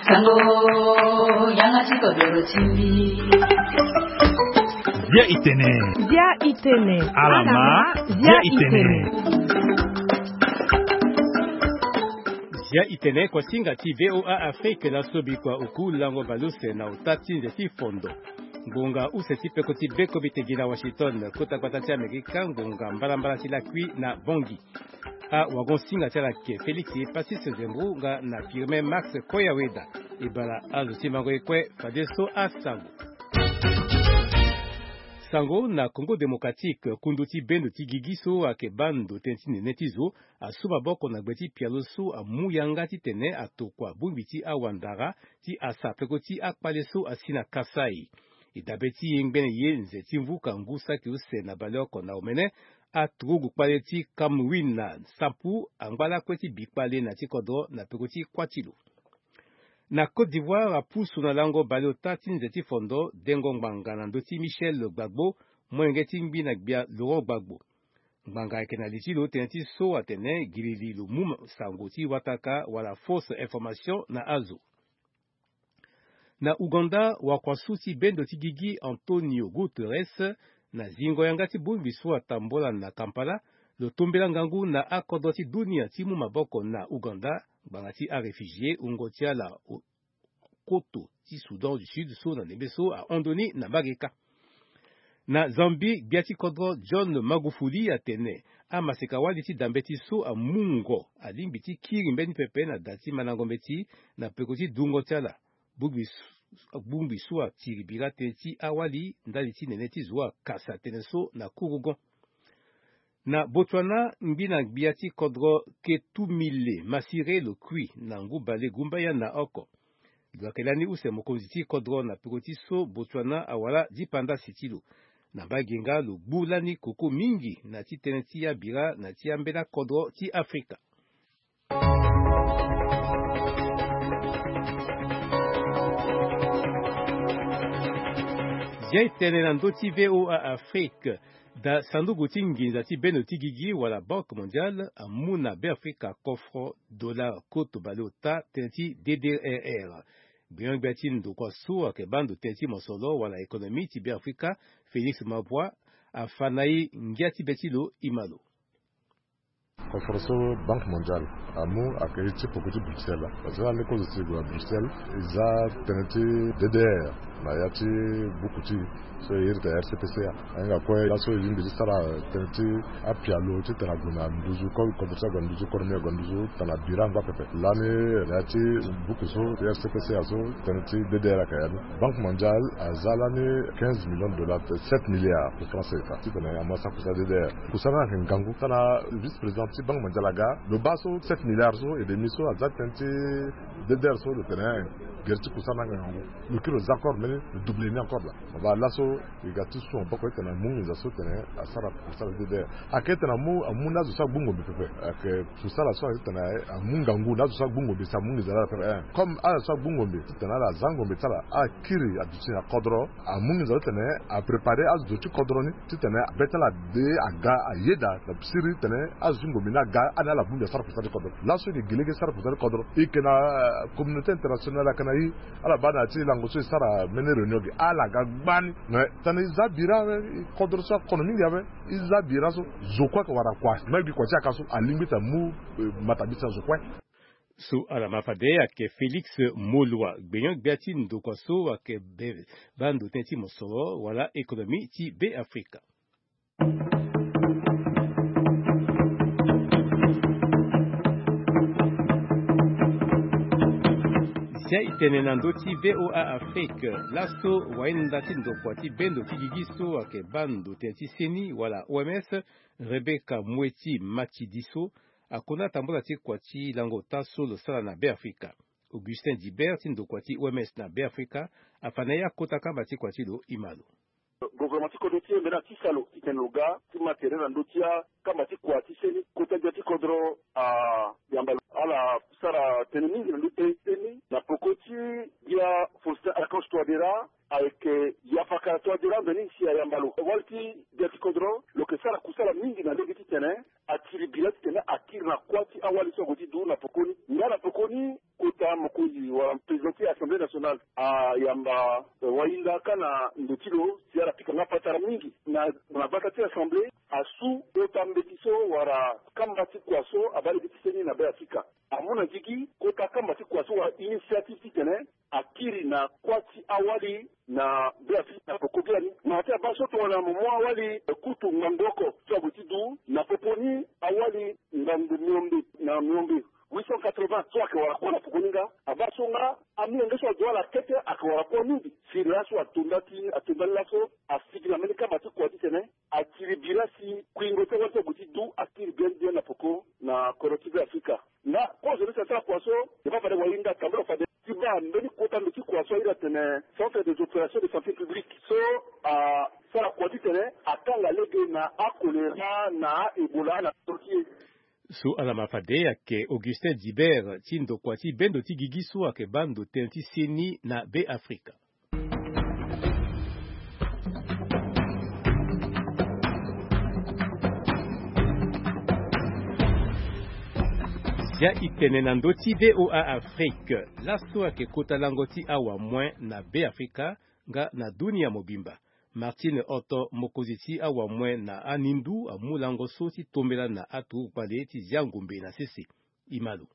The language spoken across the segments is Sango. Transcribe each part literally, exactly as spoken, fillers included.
Sango, yanga ti kodoro ti mbi. Bia itene. Bia itene. Alama. Bia itene. Bia itene, kuasinga ti VOA Afrique, laso bikua oku lango baleuse na ota ti nze ti fondo. Ngonga use ti peko ti beko bi tegi na Washington, kota gbata ti Amerika, ngonga mbalambala ti lakui na Bangui. Awagon-singa ti ala ayeke Félix Pacifique Zembo nga na Firmin Max Koyaweda. E bala azo ti mango ye kue fadeso asango. Sango na Congo Démocratique, kundu ti bendo ti gigi so ayeke baa ndo tënë ti nene ti zo asu maboko na gbe ti pialo so amu yanga titene atokua bongbi ti awandara ti asa peko ti akpale so asi na Kasaï. E dabe ti yengbene ye nze ti mvuka ngu saki use na baleoko na omene, aturugu kpale ti Cameroun na Sampu angba lakue ti bi kpale na ti kodro na peko ti kuâ ti lo. Na Côte d'Ivoire, apusu na lango baleota ti nze ti fondo dengo ngbanga na ndö ti Michel Gbagbo, molenge ti ngbi na gbia Laurent Gbagbo. Ngbanga ayeke na li ti lo tënë ti so atene girili lo mu sango ti wataka wala fausse information na azo. Na Ouganda, wakuasu ti bendo ti gigi Antonio Guterres, na zingo yanga ti bongbi so atambola na Kampala, lo tombela ngangu na akodro ti dunia ti mu maboko na Ouganda ngbanga ti aréfugié wungo ti ala o-, koto ti Soudan du Sud so na ndembe so ahon ndo ni na mbage kâ. Na Zambie, gbia ti kodro John Magufuli atene amaseka-wali ti dambe ti so amungo alingbi ti kiri mbeni pepe na da ti mandango mbeti na peko ti dungo ti ala. Bongbi su-, bongbi so atiri bira tënë ti awali ndali ti nene ti zo akasa tënë so na kurugon. Na Botswana, ngbi na gbia ti kodro Ketumile Masire lo kui na ngu bale gumbaya na oko. Lo yeke lani use mokonzi ti kodro na peko ti so Botswana awara dipanda si ti lo. Na mbage nga lo gbu lani koko mingi na ti tënë ti abira na ti ambela kodro ti Afrika. Zia e tene na ndö ti VOA Afrique. Da sanduku ti nginza ti bendo ti gigi wala Banque Mondiale amu na Beafrika kofro dollar koto baleota tënë ti D D R R. Gbenyo-gbia ti ndokua so ayeke baa ndo tënë ti mosoro wala économie ti Beafrika, Félix Mabwa, afa na e ngia ti be ti lo, e ma lo. Koforo so Banque Mondiale amu ayeke ye ti poko ti Bruxelles. Parce que na leko zo si e gue na Bruxelles, e za tënë ti D D R na ya ti buku ti e so e iri tene R C P C A. Ahinga kue laso e lingbi ti sara tënë ti apialo titene ague na nduzu ko-, kodro ti ague na nduzu, kodro ni ague na nduzu titene abira angba pepe. Lani na ya ti buku so ti R C P C A so, tënë ti D D R ayeke ya ni. Banque Mondiale aza lani quinze millions de dollars, sept milliards de francs C F A titene amu asara kusala D D R. Kusala ni ayeke ngangu. Titene vice-président ti Banque Mondiale aga, lo baa so sept milliards so et demi so aza tënë ti D D R so, lo tene gere ti kusala ni ayeke ngangu. Lo kiri lo za accord mbeni, lo double ni encore laa. Mo baa laso e ga ti su maboko titene amu nginza so titene asara kusala D D R. Ayeke titene amu, amu na azo so agbu ngombe pepe. Ayeke kusala so ayeke titene amu ngangu na azo so agbu ngombe si amu nginza na ala pepe. Eh, comme ala so agbu ngombe titene ala za ngombe ti ala, ala kiri aduti na kodro, amu nginza so titene apréparer azo ti kodro ni titene be ti ala de aga ayeda na siriri titene azo ti ngombe ni aga, ani ala bongbi asara kusala ti kodro. Laso e yeke gi lege sara kusala ti kodro, e yeke na, eh, communauté internationale ayeke na e. Ala baa na ya ti lango so e sara mbeni réunion ge, ala ga gbani. Mais titene e za bira awe, kodro so akono mingi awe, e za bira so, zo kue ayeke wara kua. Même gi kua ti yaka so alingbi titene amu, eh, matabiti na zo kue. So ala ma fade ayeke Félix Moloi, gbenyo-gbia ti ndokua so ayeke be-, baa ndo tënë ti mosoro wala économie ti Beafrika. Zia e tene na ndö ti VOA Afrique, laso wainda ti ndokua ti bendo ti gigi so ayeke baa ndo tënë ti seni wala O M S, Rebecca Mweti Matidiso, akuna tambula ti kua ti lango ota so lo sara na Beafrika. Augustin Dibert ti ndokua ti O M S na Beafrika afa na e akota kamba ti kua ti lo, e ma lo. Gouvernement ti kodro ti e mbeni atisa lo titene lo ga ti ma tere na ndö ti akamba ti kua ti seni. Kota gbia ti kodro ayamba lo. Ala sara tënë mingi na ndö ti seni na peko ti gbia Faustin Archange Touadéra, ayeke Yafaka Touadéra mbeni si ayamba lo. Wali ti gbia ti kodro lo yeke sara kusala mingi na lege titene atiri bira titene Akiri na kuâ ti awali so ague ti du na pokoni. Nga na pokoni, kota mokonzi wala président ti Assemblée nationale ayamba, eh, wahinda kâ na ndo ti lo si ala pika nga patara mingi. Na, na bata ti Assemblée, asu kota mbeti so wala kamba ti kua so abaa lege ti seni na Beafrika. Amu na gigi kota kamba ti kua so wala initiative titene akiri na kuâ ti awali na Beafrika na poko biani. Mara ti abaa so tongana mo mu awali, eh, kutu ngangu oko so ague ti du na popo ni, awali ngangu miombe na miombe, huit cent quatre-vingts, so ayeke wara kuâ na poko ni nga. Abaa so nga amolenge so azo ala kete ayeke wara kuâ mingi. Si laso atonda ti, atonda ni laso, asigi na mbeni kamba ti kua titene akiri bira si kuingo ti awali so ague ti du akiri bien bien na poko na kodro ti Beafrika. Nga kozo ni si asara kua so, e baa fade wahinda tambula fade ti baa mbeni kota ndo ti kua so airi atene Centre des opérations de santé publique so asara kua titene akanga lege na acholéra na a-Ebola na kodro ti e. So ala ma fade ayeke Augustin Dibert ti ndokua ti bendo ti gigi so ayeke baa ndo tënë ti seni na Beafrika. Zia e tene na ndö ti V O A Afrique. Laso ayeke kota lango ti awamue na Beafrika nga na dunia mobimba. Martine Otto, mokonzi ti awamue na anindu, amu lango so ti tombela na aturugu kpale ti zia ngombe na sese. E ma lo.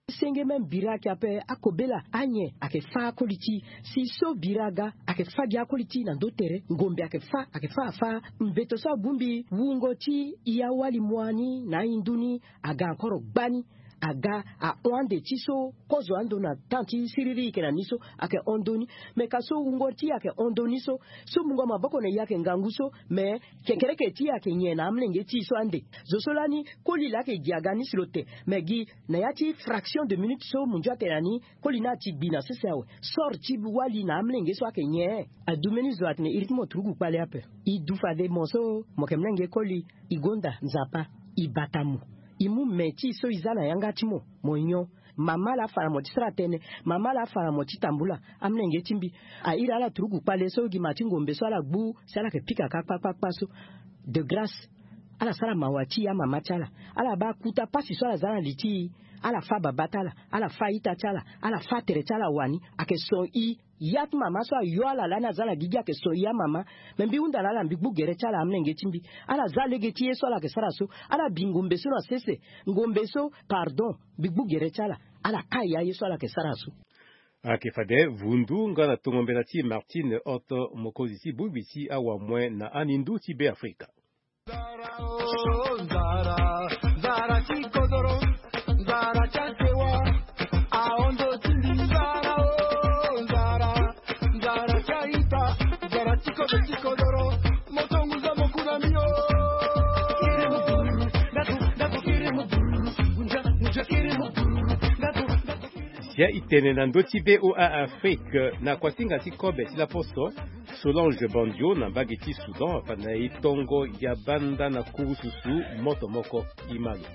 Senge même bira ayeke ape, akobela, anyen ayeke fâ akoli ti e. Si so bira aga, ayeke fâ gi akoli ti e na ndö tere. Ngombe ayeke fâ, ayeke fâ afâ. Mbeto so abongbi wungo ti e awali moani na ahindu ni aga encore gbani. Aga ahon ande ti so kozo ando na temps ti siriri e yeke na ni so ayeke hon ndö ni. Me ka so wungo ti e ayeke hon ndö ni so, so mungo maboko na e ayeke ngangu so, me kekereke ti e ayeke nyen na amolenge ti e so ande. Zo so lani koli laa ayeke gi aga ni si lo te. Me gi na ya ti fraction de minute so munzu atene na ni, koli ni ati gbi na sese awe. Sort ti wali na amolenge so ayeke nyen? Adu mbeni zo atene iri ti mo turugu kpale ape. E du fade mo so mo yeke molenge koli, e gonda Nzapa, e bata mo. E mu me ti e so e za na yanga ti mo, mo nyon. Mama laa afa na mo ti sara tënë. Mama laa afa na mo ti tambula. Amolenge ti mbi, a iri ala turugu kpale so gi ma ti ngombe so ala gbu si ala yeke pika kâ kpakpakpa so. De grâce, ala sara mawa ti e amama ti ala. Ala baa kota pasi so ala za na li ti e. Ala fâ babâ ti ala, ala fâ a-ita ti ala, ala fâ tere ti ala wani. Ayeke son e. Ya ti mama so ayo ala lani aza na gigi ayeke son e amama. Me mbi hunda na ala, mbi gbu gere ti ala, amolenge ti mbi. Ala za lege ti ye so ala yeke sara so. Ala bi ngombe so na sese. Ngombe so, pardon, mbi gbu gere ti ala. Ala kai ya ye so ala yeke sara so. Ayeke fade vundu nga na tongo mbela ti Martine Otto, mokonzi ti bongbi ti awamue na anindu ti Beafrika. Nzara, oh, nzara, nzara ti kodoro, nzara ti asewa, ahondo ti mbi. Nzara, oh, nzara, nzara ti a-ita, nzara ti kodoro, ti kodoro, mo tonguza mo kuna mio. Kiri mo buru, ndaku, ndaku, kiri mo buru, ngunja, ngunja, kiri mo buru, ndaku, ndaku, kiri mo. Zia e tene na ndö ti V O A Afrique, na kuasinga ti kobe ti laposo, Solange Bandio na mbage ti Soudan afa na e tongo ya banda na kurususu moto moko. E ma lo.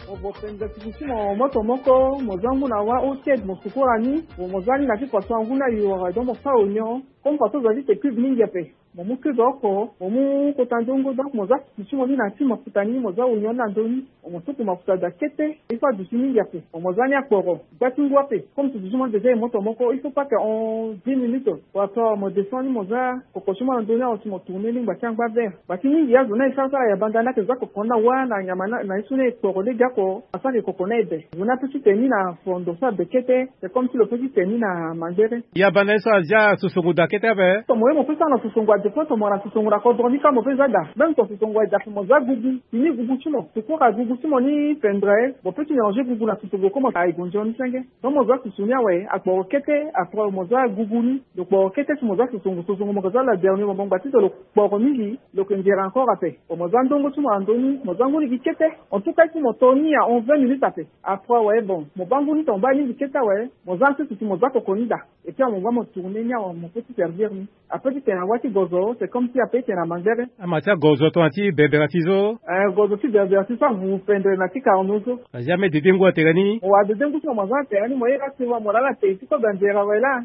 Mo vo penza siki ti mo moto moko, mo za ngu na wâ ôtiede, mo sukura ni, mo, mo za ni na ti kua so angu ni ayo wara, donc mo fâ onyon. Comme kua so za ti te cube mingi ape, mo mu cube oko, mo mu kota nzongo, donc mo za siki ti mo ni na ti mafuta ni, mo za onyon ni na ndö ni. Mo suku mafuta daa kete, il faut aduti mingi ape. Mo za ni akporo, gba ti ngu ape. Comme siki ti mo déjà e moto moko, il faut pas que en dix minutes. Wala so mo descend ni, mo za koko ti mo na ndö ni awe si mo tourner ni ngba ti angba vert. Ngba ti mingi azo ni aye sara sara ya banda ni ayeke za koko ni na wâ na nyama ni, na ye so ni e kporo lege oko, asara koko ni aye be. Zo ni ape ti te ni na fondo so abe kete, c'est comme si lo pe ti te ni na mangbere. Ya banda ni so azia sosongo daa kete ape. Tomo ye mo pe sara na sosongo ade fo, tomo na sosongo na kodro ni ka mo pe za daa. Même ton sosongo aye daa fo mo za gugu. Fini gugu ti mo. Sukura gugu ti mo ni fendre. Mo pe ti mélanger gugu na sosongo ko mo aye gonzo ni senge. Donc mo za susu ni awe, akporo kete, après mo za gugu ni. Lo kporo kete si mo za sosongo, sosongo mo yeke za la dernière, mo bongba ti so lo kporo mingi, lo yeke nzere encore ape. Bon, mo za ndongo ti mo na ndö ni, mo za ngu ni gi kete. En tout cas, si mo to ni ya en vingt minutes ape. Après, ouais, bon, mo baa ngu ni tonga baa ni gi kete awe, mo za nsusu si mo za koko ni daa. Et puis, mo baa mo tourner ni awe, mo pe ti servir ni. Ape ti tene na wâ ti gozo, c'est comme si ape ti tene na mangbere. Ama ti agozo tongana ti berbera ti so. Eh, gozo ti berbera ti so avu fendre na ti karno so. Azia me dede ngu atene ni. Mo wa dede ngu ti mo, mo za atene ni, mo ye ka ti wa mo lala te ti kobe anzere awe laa.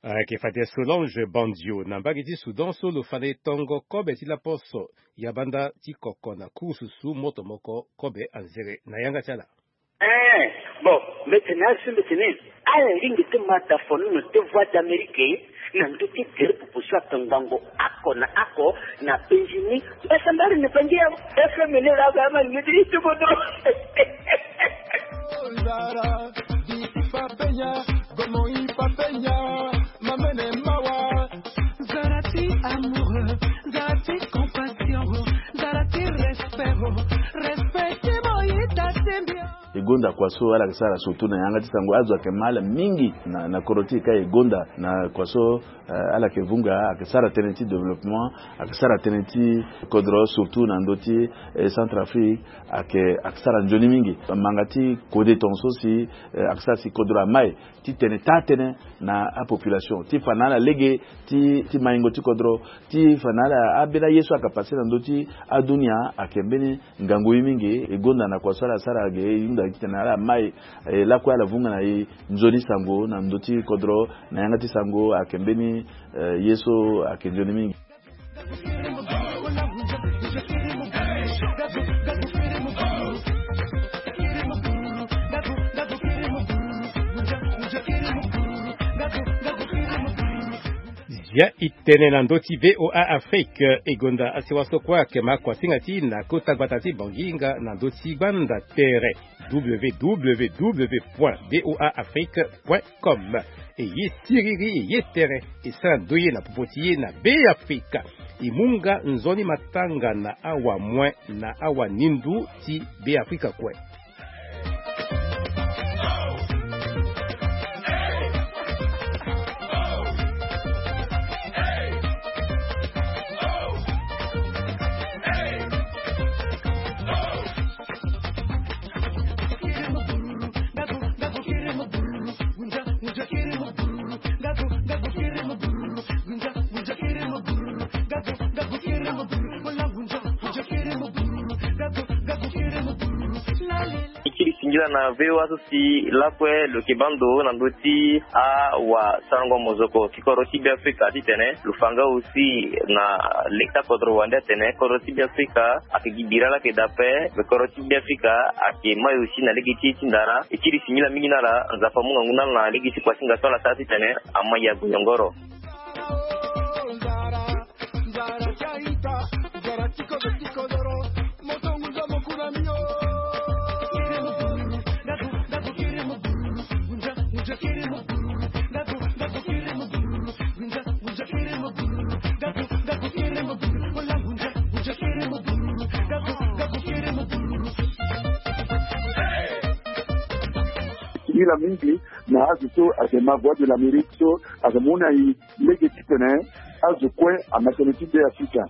Ayeke fade Solange Bandio na mbage ti Soudan so lo fa na e tongo kobe ti laposo ya banda ti koko na kurususu moto moko kobe anzere na yanga ti ala. Eh, bon, mbetene asu mbetene. Ala lingbi ti ma da fonono ti Voix d'Amérique na ndö ti gere popo so ato ngbangbo oko na oko na penzi ni. Mbasa mbari na bangi ya F M ni la ba ma ni ti ti bodo. Zara, di papenya, gomo i papenya, mamene mawa. Zara ti amoureux, zara ti compassion, zara ti respect, respect ti mo i ta ti mbia. E gonda kua so ala yeke sara surtout na yanga ti sango, azo ayeke ma ala mingi na, na kodro ti e ka e gonda na kua so, eh, ala yeke vunga, ayeke sara tënë ti développement, ayeke sara tënë ti kodro surtout na ndö ti, eh, Centrafrique, ayeke, ayeke sara nzoni mingi. Manga ti kode tongaso si, eh, ayeke sara si kodro amai ti tene taa-tënë na apopulation, ti fa na ala lege ti, ti maingo ti kodro, ti fa na ala ambeni aye so ayeke passé na ndö ti adunia, ayeke mbeni ngangu ye mingi. E gonda na kua so ala sara ge, e hunda titene ala mai, eh, lakue ala vunga na e nzoni sango na ndö ti kodro, na yanga ti sango ayeke mbeni, eh, ye so ayeke nzoni mingi. Zia e tene na ndö ti V O A Afrique, e gonda asewa so kue ayeke ma kuasinga ti e na kota gbata ti Bangui nga na ndö ti gbanda tere W W W point V O A Afrique point com. E ye siriri, e ye tere, e sara ndoye na popo ti e na Beafrika. E mu nga nzoni matanga na awamue na awanindu ti Beafrika kue. E kiri singila na V O A so si lakue lo yeke baa ndo na ndö ti awasarango mozoko ti kodro ti Beafrika titene lo fa nga aussi na lege ti akodro wande atene kodro ti Beafrika ayeke gi bira laa ayeke daa ape, me kodro ti Beafrika ayeke mai aussi na lege ti e ti ndara. E kiri singila mingi na ala, Nzapa amu ngangu na ala na lege ti kuasinga so ala sara titene amai ague yongoro. Singila mingi na azo so ayeke ma Voix de l'Amérique so ayeke mu na e lege titene azo kue ama tënë ti Beafrika.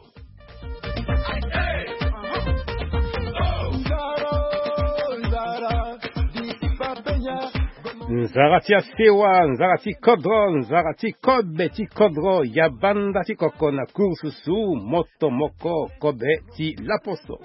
Nzara ti asewa, nzara ti kodro, nzara ti kobe ti kodro, ya banda ti koko na kurususu moto moko kobe ti laposo.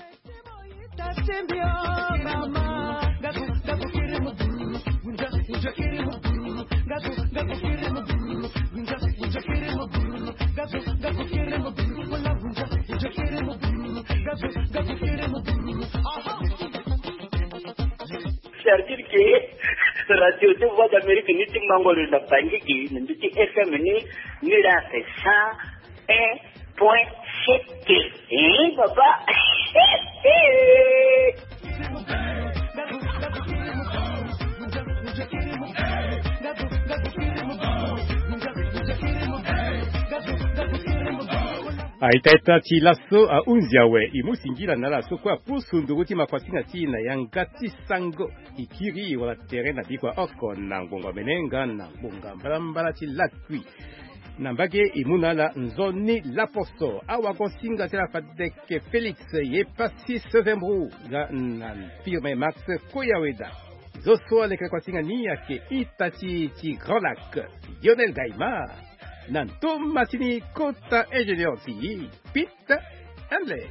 C'est-à-dire que radio ti Voix d'Amérique ni ti mango lo na Bangui gi na ndö ti F M ni, ni la c'est cent un point sept. Eh, papa. A ita ita ti laso ahunzi awe, e mu singila na ala so kue apusu nduru ti makuasinga ti e na yanga ti sango. E kiri e wara tere na bikua oko na ngbonga mene nga na ngbonga mbalambala ti lakui. Na mbage e mu na ala nzoni laposo, awagosinga ti ala fadeke Félix ye Passis Vembrou nga na firme Max Koyaweda. Zo so aleke na kuasinga ni ayeke ita ti ti Grand Lac, Lionel Gaimard. Na ndo ma ti ni kota ingénieur ti e, Pete Handley.